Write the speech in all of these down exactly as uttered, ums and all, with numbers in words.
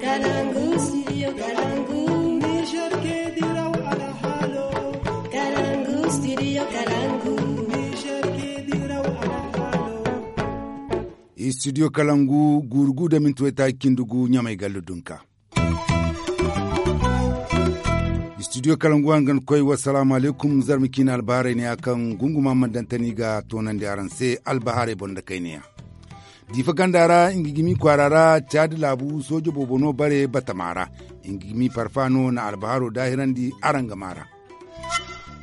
Kalangu, studio Kalangu. Niger ke diraw alhalo. Kalangu, studio Kalangu. Niger ke diraw alhalo. Studio Kalangu, gurugu da minti wayta cindi gu, Ɲamay gallu dunka. Studio Kalangu hangan koy, wassalaamu alaykum. Zarma ciine albaharay ne ya kaŋ gunguma man dantani ga toonandi araŋ se albaharay boŋ da kayna ya. Diifa ganda ra, nga gimi kwaara ra, caadi laabu sooje boobo no bare batama ra. Nga gimi parfa no na albaharo daahirandi araŋ ga maa ra.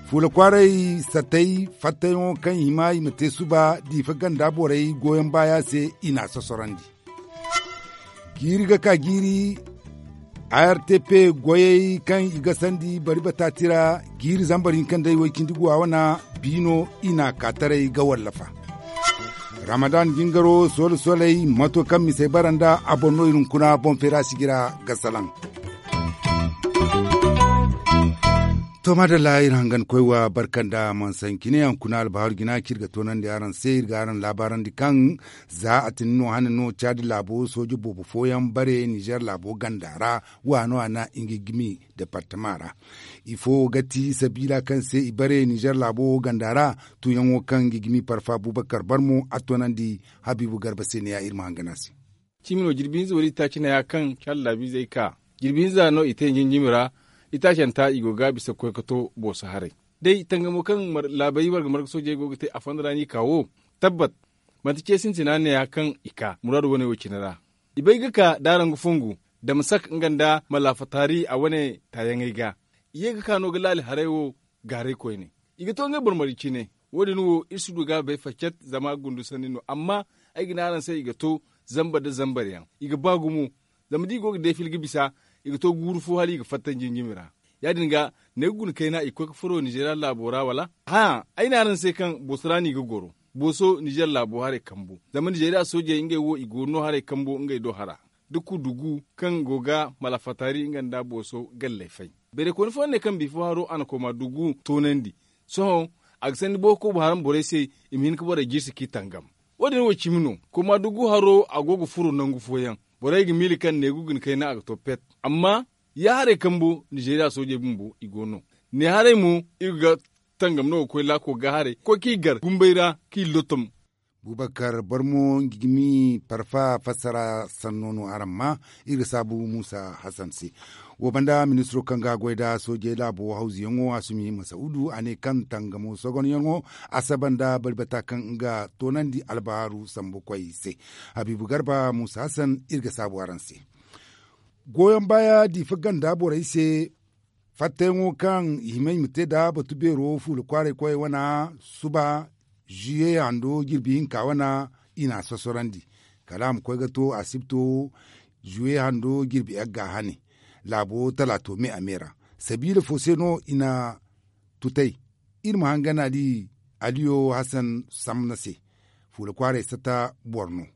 Fuula kwaaray satay fattayaŋo kaŋ i hima i ma te suba diifa ganda borey goyaŋ baaya se, i n'a sosorandi. Jiiri ga ka jiiri, a r t p goyey kaŋ i ga sandi bari bataati ra, jiiri zambar hinka nda i way cindi guwa wana, biino i n'a ka taray ga wallafa. Ramadan jingaro soola soolay, mato kaŋ misey bara nda a boŋ no i hunkuna boŋ feera sijira ga salaŋ. To madalla, iri hangan koy wa barka nda mansanci ne yaŋ kuna albahaaru jina kaŋ iri ga toonandi araŋ se, iri ga araŋ laabaarandi kaŋ za a tini no hane no caadi laabo sooje boobo fooyaŋ bare nizer laabo ganda ra, waano a na nga gimi departama ra. Ifo ga ti sabiila kaŋ se i bare nizer laabo ganda ra? Tuuyaŋo kaŋ ga gimi parfa bubakar barmo a toonandi habiibu garba se ne ya iri ma hangan a se. Cimi no jirbi hinza wala itaaci neeya kaŋ caadi laabiizey ka jirbi hinza no i te njinjimi ra. Itaacanta i go ga bisa ga koy ga to booso haray day tangamo kaŋ laabey warga marga soojey go ga te a fondo ra no i ka wo. Tabbat manti ce sintina neeya kaŋ i ka muraadu wane wo cine ra. I bay ga ka daaraŋ ga fongu damasak nga nda malaafa taari a wane taayaŋey ga. I ye ga ka no ga laali haray wo gaaray koyne. I ga to ngey boro marga cine. Wo- din wo iri si du ga a bay faccat zama gundu sanni no amma ay ga ne araŋ se i ga to zambar nda zambar yaŋ i ga ba gumo. Zama da i go ga deefil ga bisa i ga to guuru fo hala i ga fatta njinjimi ra. Ya- din ga ne ga guna kayna i ga koy ga furo nizeeriya laabo ra wala? Hãa, ay ne araŋ se kaŋ booso ra no i ga goro. Booso nizeer laabo haray kambu zama nizeeriya soojey ngey wo i go no haray kambu ngey do hara da kudugu kaŋ go ga malafataari nga nda booso galley fay. Bayray kooni fooyaŋ ne kaŋ biifo haro a na kooma dugu toonandi. Sohõ a ga sanni bookobo haram borey se i ma hin ga borey jirsi kaŋ i tangam. Wo- din wo cimi no kooma dugu haro a go ga furo nangu fooyaŋ. Borey ga miila kaŋ neegu guna kayna a ga to pet. Amma ya haray kambo nizeeriya soojey bumbo i go no. Ne haray mo iri ga tangam no ga koy laako ga haray ga koy kaŋ i gar gumbey ra kaŋ i lotom. Bubakar barmo nga ga mi parfa fassara sanno no araŋ ma. Iri ga saabu muusa hasan se. Wo banda ministiro kaŋ ga goy nda soojey laabo hawzuyaŋo asumi masa'udu a ne kaŋ tangamo sogonyaŋo asaba nda bari bata kaŋ nga toonandi albahaaru sambu koy se. Habiibu garba muusa hasan iri ga saabu araŋ se. Goyoŋ baaya diifa ganda borey se fattayaŋo kaŋ i hima i ma te nda batu beero fuula kwaaray koyey wana suba zuye hando jirbi hinka wana i n'a sosorandi. Kala a ma koy ga to asibto zuye hando jirbi yagga hane laabo talaato me a me ra. Sabiila fo se no i na tutay. Iri ma hangan ali aliyo hasan samna se fuula kwaaray sata boro no.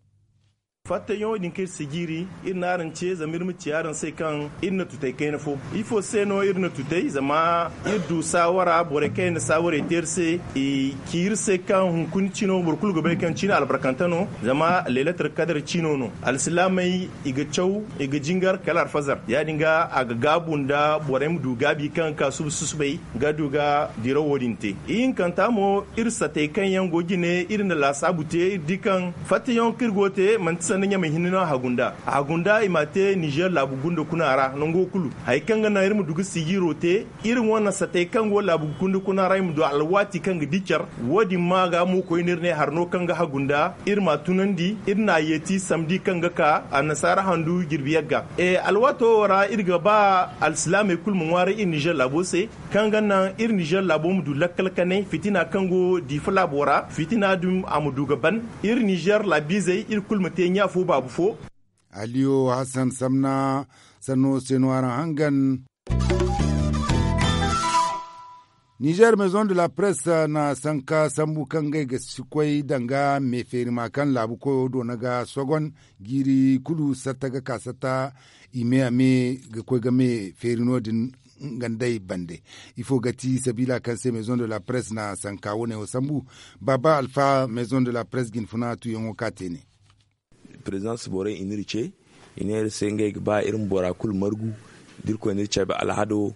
Fattayaŋo din kaŋ iri si jiiri iri n'araŋ ce zama iri ma ci araŋ se kaŋ iri na tutay kayna fo. Ifo se no iri na tutay zama iri du saawara borey kaŋ iri na saawarey te iri se i ci iri se kaŋ hunkuna cino boro kulu ga bay kaŋ cine albarkante no. Zama leelatar kadar cino no alsilaamey i ga caw i ga jingar kala alfazar ya- din ga a ga gaabu nda borey ma du gaabi kaŋ ga ka suba susubay ga du ga dirawo din te. Ihinkanta mo iri satey kaŋ yaŋ go jine iri na laasaabu te iri di kaŋ fattayaŋo kaŋ iri go ga te manti sanda ɲamey hinne no a hagu nd'a a hagu nd'a i m'a te nizer laabu gunda kuna ra nango kulu. Hari kaŋ ga naŋ iri ma du ga sijiiro te iri wane satey kaŋ go laabu gunda kuna ra i ma du alwaati kaŋ ga di care. Wo- din ma ga mo koyne iri ne hari no kaŋ ga hagu nd'a iri m'a tunandi iri n'a yeeti samdi kaŋ ga ka annasaara handu jirbi yagga. Alwaato wo ra iri ga ba alsilaamey kulu ma ŋwaaray iri nizer laabo se kaŋ ga naŋ iri nizer laabo ma du lakkal kanay fitina kaŋ go diifa laabo ra fitina din a ma du ga ban. Iri nizer laabiizey iri kulu ma te ɲa fo baabu fo. Aliyo hasan samna sanno se no araŋ hangan. Nizer maison de la presse na sanka sambu kaŋ ngey ga si koy danga me feeri ma kaŋ laabu koyo doona ga sogon jiiri kulu satta ga ka satta i me a me ga koy ga me feeri no- din. Nga nd'ey bande ifo ga ti sabiila kaŋ se maison de la presse na sanka wane wo sambu. Baaba alfa maison de la presse ga hin funa tuuyaŋo ka te ne. Prezidans borey i n'iri ce I ne iri se ngey ga ba iri ma bora kulu margu da iri koy no iri cabe alhado.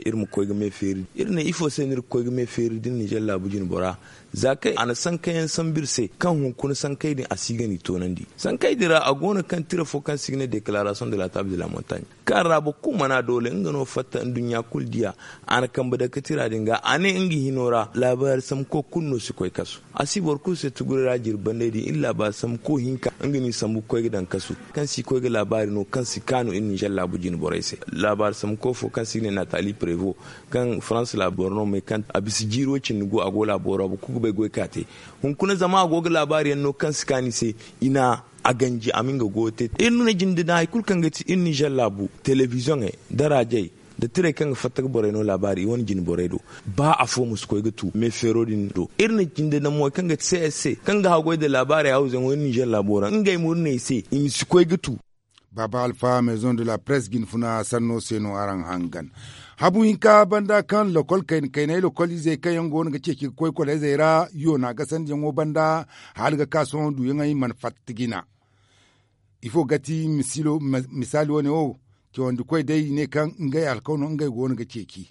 Iri ma koy ga me feeri iri ne ifo se no iri ga koy ga me feeri da iri ninzeer laabu jine bora. Za kaŋ a na sankayaŋ sambu iri se kaŋ hunkuna sankay din a si ga ni toonandi sankay din ra a go no kaŋ tira fo kaŋ se i ga ne deklarasoŋ de la taaba de la montagne kaŋ ra boro kulu mana doole nga no fatta nduɲɲa kulu diya. A na kambe dake tira din ga a ne nga hino ra laabaari sambuko kulu no si koy kasu. A si boro kulu se tuguray ra jirbi banday din iri laabaari sambuko hinka nga no i sambu ga koy ga daŋ kasu kaŋ si koy ga laabaari no kaŋ si kaanu iri ninzeer laabu jine borey se. Laabaari sambuko fo kaŋ se i ga ne natali prevo kaŋ farans laabu boro no me kaŋ a bisa jiiro cindi gu a go laabo ra boro kulu ga bay goy ka te. Hunkuna zama a go ga laabaari yaŋ no kaŋ si kaanu i se i na a ganji a ma nga goyo te iri no na jinde da hari kulu kaŋ ga ti iri ninzeer laabu telebiziyoŋey da raajey da tirey kaŋ ga fatta ga borey no laabaari i wane jine borey do. Ba afo ma si koy ga tu me feero din do iri na jinde da moy kaŋ ga ti se ay se kaŋ ga haggoy da laabaari hawzuyaŋo iri ninzeer laabo ra ngey mo iri ne i se i ma si koy ga tu. Baaba alfa maison de la presse jinfuna sanno se no araŋ hangan. Habu hinka banda kaŋ lokol kayna kaynay lokol izey kaŋ yaŋ go no ga ceeci ga koy koleezey ra yoona gasandiyaŋo banda hala ga ka sohõ duuyaŋey mana fatta jina. Ifo ga ti misaali wane wo? Cawandi koy day i ne kaŋ ngey alkaw no ngey go no ga ceeci.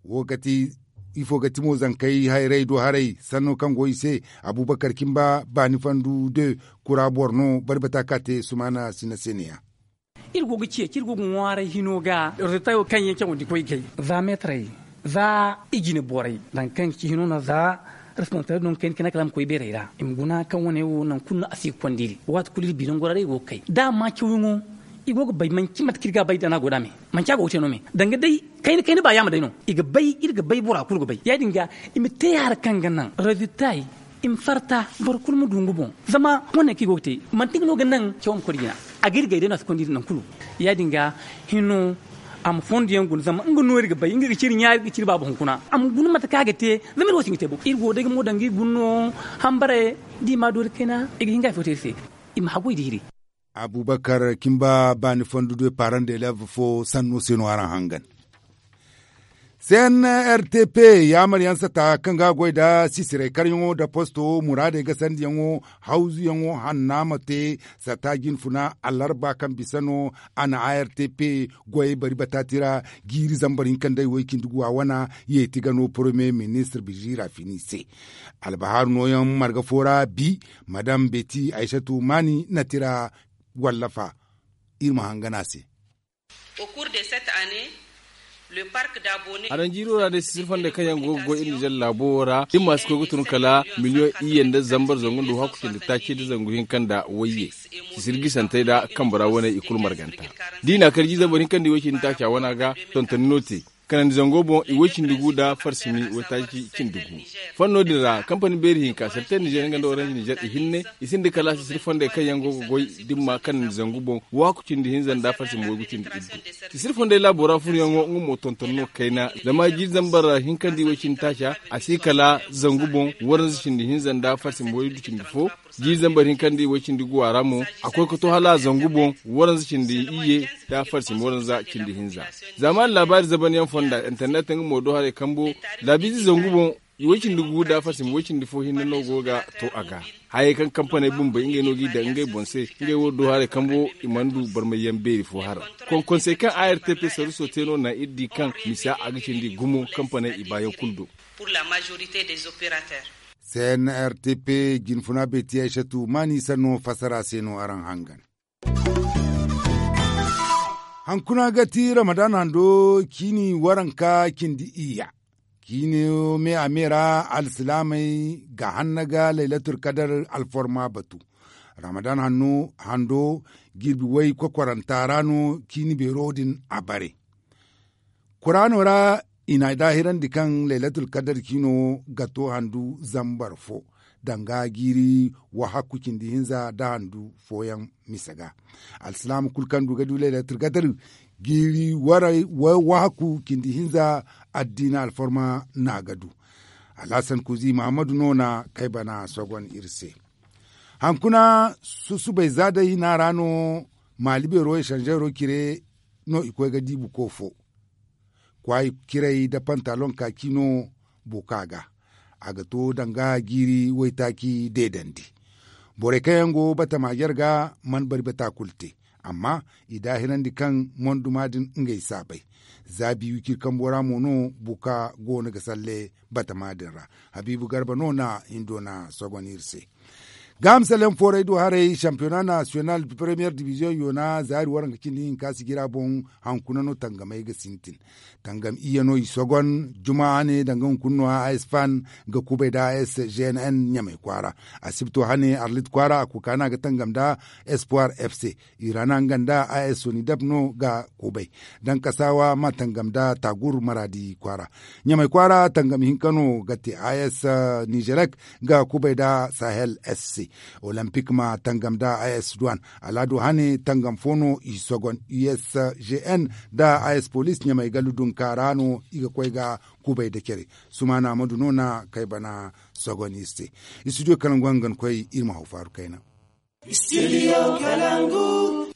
Wo ga ti ifo ga ti mo zankey hayrey do haray sanno kaŋ go i se. Abubakar cimba baani fandu de kura boro no bari bata ka te sumaana sina se ne ya. Iri go ga ceeci iri go ga ŋwaaray hino ga rezilta wo kaŋ yaŋ cawandi koy gay za meetarey za i jine borey danga kaŋ ga ci hino no za responsabili no ga kayna kayna kala a ma koy beerey ra i ma guna kaŋ wane wo nangu kulu no a si ga konda iri waati kulu iri binangora ra iri go ga kay da a ma cawyaŋo. I go ga bay manci mate kaŋ iri ga a bay da no a go da me manci a go ga te no me danga day kayna kayna ba yaama day no i ga bay iri ga bay bora kulu ga bay ya- din ga i ma te hari kaŋ ga naŋ rezilta i ma farta boro kulu ma du nga boŋ. Zama wane kaŋ i go ga te manti nga no ga naŋ cawo ma koy da jina a ga iri gay day no a si konda iri nangu kulu. Ya- din ga hino a ma fondo yaŋ guna zama nga no iri ga bay nga ga ci iri ɲaari ga ci iri baaba hunkuna a ma guna mate kaŋ a ga te. Zama iri wo si nga te boŋ iri go day ga mo danga iri guna no hambare da i ma a doori kayna i ga hin ga hari fo te iri se. I ma haggoy da iri. Abubakar cimba baani fondo de paran de lev fo sanno se no araŋ hangan. Cnrtp yaamaryaŋ sata kaŋ ga a goy nda sisirey karyaŋo nda posto muraadey gasandiyaŋo hawzuyaŋo hanna ma te sata jinfuna alarba kaŋ bisa no a na artp goyey bari bataati ra jiiri zambar hinka nda i way cindi guwa wana yeeti ga no poromye ministir biziira fini se. Albahaaru nooyaŋ marga fo ra bi madam beti aysatu maani na tira wallafa. Iri ma hangan a se. Araŋ jiiro ra day sisir fondey kaŋ yaŋ go ga goy iri nizer laabo wo ra da ni ma si koy ga tun kala miliyoŋ iyye nda zambar zangu nda wahakku cindi taaci nda zangu hinka nda wayye. Sisir gisantey nda kambe ra waney i kulu marganta da i na a kar jiiri zambar hinka nda iway cindi taaca wana ga tontoni no te. Kanandi zango boŋ iway cindi gu nda farsimi waytaaci cindi gu. Fanno din ra kampani beeri hinka serten nizer nga nda orange nizer ihinne i sinda kala sisir fondey kaŋ yaŋ go ga goy da ni ma kanandi zangu boŋ wahakku cindi hinza nda farsimi waygu cindi iddu. Sisir fondey laabo ra furoyaŋo nga mo tonton no kayna zama jiiri zambar hinka nda iway cindi taaca a si kala zangu boŋ waranza cindi hinza nda farsimi waydu cindi fo. Jiiri zambar hinka nda iway cindi guwa ra mo a koy ga to hala zangu boŋ waranza cindi iyye nda farsimi waranza cindi hinza. Zamani laabaari zabanyaŋ fonda internet nga mo do haray kambo laabiize zangu boŋ iway cindi gu nda farsimi way cindi fo hinne no go ga to a ga. Hayey kaŋ kampaney bumbey ngey no g'i daŋ ngey boŋ se ngey wo do haray kambo i mana du barmayyaŋ beeri fo hara. Konkonsey kaŋ artp saruso te no naŋ iri di kaŋ misa a ga cindi gumo kampaney i baayaŋ kulu do. Cnrtp jinfuna beeti aysatu maani sanno fassara se no araŋ hangan. Hankuna ga ti ramadan hando ciini waranka cindi iyya. Ciino me a me ra alsilaamey ga hanna ga laylatul kadar alforma batu. Ramadan hando jirbi way kokwaranta ra no ciini beero din a bare. Kuraano ra i na daahirandi kaŋ laylatul kadar ciino ga to handu zambar fo danga jiiri wahakku cindi hinza nda handu fooyaŋ misa ga. Alsilaama kulu kaŋ du ga du laylatul kadar jiiri wahakku cindi hinza addiina alfarma no a ga du. Alhasan kuzi mahammadu no na kay bana sogon iri se. Hankuna susubay za day hina ra no maali beero esanzeero cire no i koy ga di buko fo. Kwaay ciray nda pantalon kaaki no buka ga. A ga to danga jiiri waytaaci deedandi. Borey kaŋ yaŋ go batama jarga mana bari bata kulu te. Amma i daahirandi kaŋ monduma din ngey saabay. Zaabi wiciri kambo ra mo no buka goono ga salle batama din ra. Habiibu garba no na hindo na sogon iri se. Gaaham salyaŋ fooray do haray sampiyona nasiyonal, paremiyer dibiziyoŋ yoona zaari waranka cindi hinka sijira boŋ. Hankuna no tangamey ga sintin. Tangam iyye no i sogon. Juma hane danga hunkuna no a s fan ga kubay nda a s g n n ɲamay kwaara. Asibto hane arlit kwaara a kukaana ga tangam nda espoir f c. Irana nga nda a s soni dab no ga kubay. Dankasaawa ma tangam nda tagur maraadi kwaara. Ɲamay kwaara tangam hinka no ga te a s nizelek ga kubay nda sahel s c. Olempik ma tangam nda a s duwan. Alaado hane tangam fo no i sogon u s g n nda a s polis ɲamay gallu dunka ra no i ga koy ga kubay nda care. Sumaana amadu no na kay bana sogon iri se. Istudiyo kalangu hangan koy iri ma haw faaru kayna.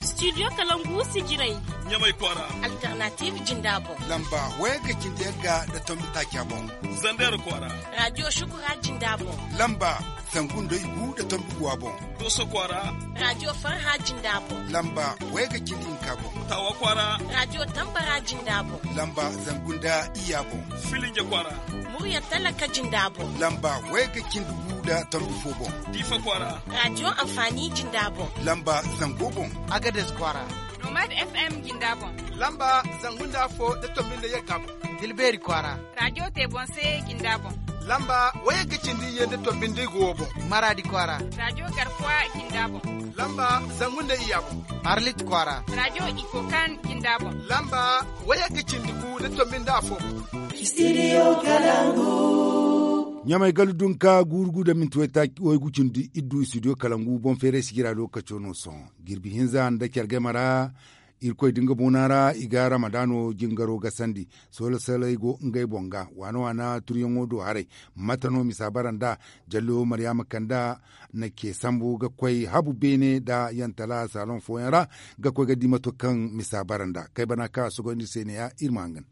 Istudiyo kalangu sijiray. Ɲamay kwaara. Alternatiiv jinda boŋ. Lamba wayagga cindi yagga nda tombi taaca boŋ. Zandeer kwaara. Raadiyo shukura jinda boŋ. Lamba zangu nda igu nda tombi guwa boŋ. Dooso kwaara. Raadiyo farha jinda boŋ. Lamba wayagga cindi hinka boŋ. Taawa kwaara. Raadiyo tambara jinda boŋ. Lamba zangu nda iyya boŋ. Filinja kwaara. Murya talaka jinda boŋ. Lamba wayagga cindi gu nda tombi fo boŋ. Diifa kwaara. Raadiyo anfaani jinda boŋ. Lamba zango boŋ. Agades kwaara. Nomad f m jinda boŋ. Lamba zangu nda afo nda tombi nda yagga boŋ. Dilbeeri kwaara. Raadiyo te boŋ se jinda boŋ. Lamba wayagga cindi iyye nda tombi nda igu wo boŋ. Maraadi kwaara. Raadiyo garkuwa jinda boŋ. Lamba zangu nda iyya boŋ. Arlit kwaara. Raadiyo ikokan jinda boŋ. Lamba wayagga cindi gu nda tombi nda afo boŋ. Istudiyo kalangu. Ɲamay gallu dunka guuru gu nda minti waygu cindi iddu istudiyo kalangu boŋ feeray sijira lookaco no sohõ. Jirbi hinza nda care game ra. Irkoy da nga boona ra i ga ramadaano jingaro gasandi. Soola salay go ngey boŋ ga waana waana turyaŋo do haray. Mate no misa bara nd'a? Jallo maryaama kanda na ce sambu ga koy habu beene nda yantala saloŋ fooyaŋ ra ga koy ga di mato kaŋ misa bara nd'a kay bana kaŋ a sogoyndi se ne-ya iri ma hangan.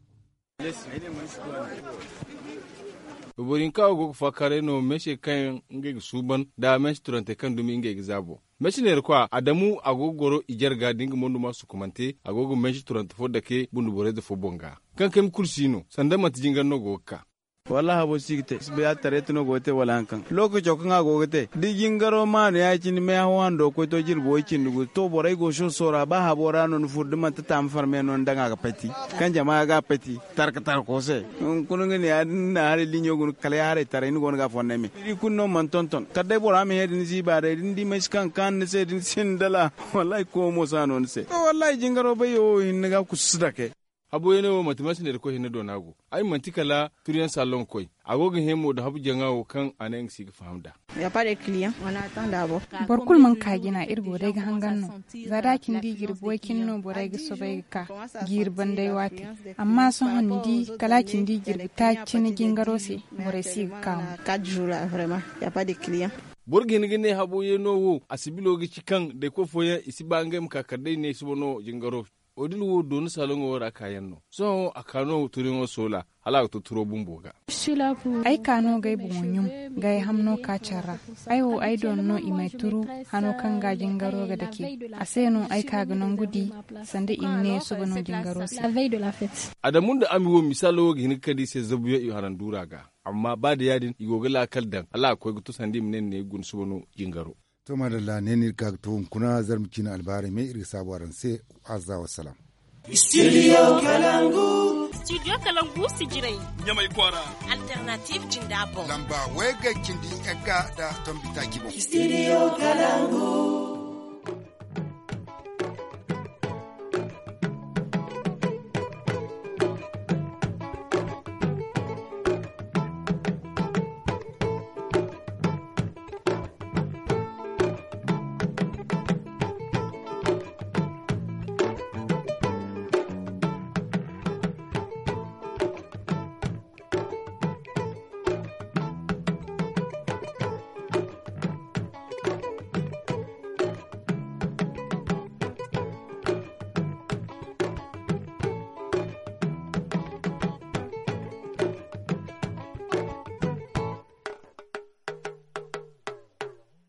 Boro hinka wo go ga faakaaray no meese kaŋ ngey ga suuban nda meese turante kaŋ dumi ngey ga zaabo. Meese neera kwa adamu a go ga goro i jarga da nga mondo ma sukumante a go ga meese turante fo dake bundu boreyze fo boŋ ga. Kaŋ kayma kulu si no sanda manti jingar no go ga ka. Wallaahi habo si ga te si bay a tareeti no go ga te wala hari kaŋ lookaco kaŋ a go ga te da jingaro maanu ya- cine meehaw hando koy to jirbi way- cindi gu to borey go soso ra ba habo ra no ni furo da manti taama farme no ni daŋ a ga pati. Kaŋ jama ga a pati tarka tarko se. Hunkuna nga ne ya- din ni na haray liɲo guna kala ya haray taray ni go no ga a fonnay me ni di kulu no mana tonton kala day bora ma hẽ da ni ziiba day da ni di may si kaŋ ga kaanu ni se da ni sinda la. Wallaahi koy mo si a no ni se to wallaahi jingaro bayyo wo hinne ga kusu si dake. Habu yaŋ no wo manti mansiney da koy hinne doona go. Ay manti kala turiyaŋ saalon koy a go ga hẽ mo nda habu jaŋa wo kaŋ a ne nga si ga faham nd'a. Boro kulu mana ka jina iri go day ga hangan no. Za da a cindi jirbi way- cine no borey ga soobay ga ka jiiri banday waati. Amma sohõ ni di kala a cindi jirbi taaci cine jingaro se borey si ga ka mo. Boro ga hin ga ne habo yeeno wo a sibilo ga ci kaŋ day koy fooyaŋ i si ba ngey ma ka kala day ne suba no jingaro. Odil wo dooni saloŋo ra kaayaŋ no. Sohõ a ka no turiyaŋo soola hala a ga to turo bumbo ga. Ay ka no ga ay boŋo ɲum ga ay hamno ka care ra. Ay wo ay dooni no i m'ay turu hano kaŋ ga jingaro ga dake. A se no ay ka ga nangu di sanda i ma ne suba no jingaro se. Adamu nda ami wo misaalo wo ga hin ga kande i se zabuyaŋ i haranduura ga. Amma ba da ya- din i go ga laakal daŋ hala a ga koy ga to sanda i ma ne ni ne ga guna suba no jingaro. To maadalla ne no iri ga ka ga to hunkuna zarma ciine albaarey me iri ga saabu araŋ se. Azza wassalam. Studio kalangu. Studio kalangu sijiray. Ɲamay kwaara. Alternative jinda boŋ. Lamba wayga cindi yagga nda tombi taaci boŋ. Studio kalangu.